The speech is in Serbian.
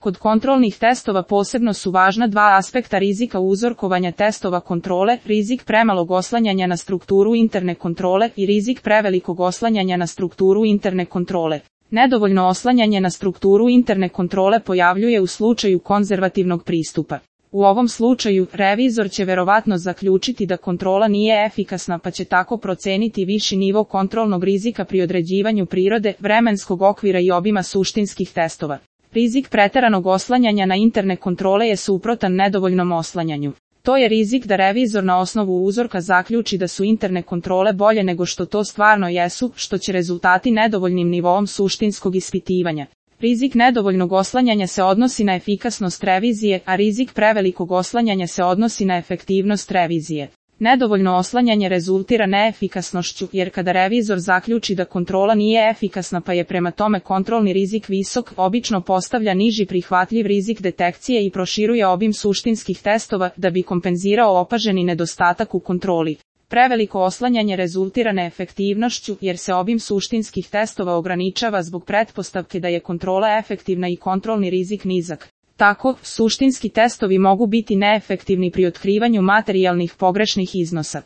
Kod kontrolnih testova posebno su važna dva aspekta rizika uzorkovanja testova kontrole, rizik premalog oslanjanja na strukturu interne kontrole i rizik prevelikog oslanjanja na strukturu interne kontrole. Nedovoljno oslanjanje na strukturu interne kontrole pojavljuje u slučaju konzervativnog pristupa. U ovom slučaju, revizor će verovatno zaključiti da kontrola nije efikasna pa će tako proceniti viši nivo kontrolnog rizika pri određivanju prirode, vremenskog okvira i obima suštinskih testova. Rizik preteranog oslanjanja na interne kontrole je suprotan nedovoljnom oslanjanju. To je rizik da revizor na osnovu uzorka zaključi da su interne kontrole bolje nego što to stvarno jesu, što će rezultati nedovoljnim nivoom suštinskog ispitivanja. Rizik nedovoljnog oslanjanja se odnosi na efikasnost revizije, a rizik prevelikog oslanjanja se odnosi na efektivnost revizije. Nedovoljno oslanjanje rezultira neefikasnošću, jer kada revizor zaključi da kontrola nije efikasna pa je prema tome kontrolni rizik visok, obično postavlja niži prihvatljiv rizik detekcije i proširuje obim suštinskih testova da bi kompenzirao opaženi nedostatak u kontroli. Preveliko oslanjanje rezultira neefektivnošću, jer se obim suštinskih testova ograničava zbog pretpostavke da je kontrola efektivna i kontrolni rizik nizak. Tako, suštinski testovi mogu biti neefektivni pri otkrivanju materijalnih pogrešnih iznosa.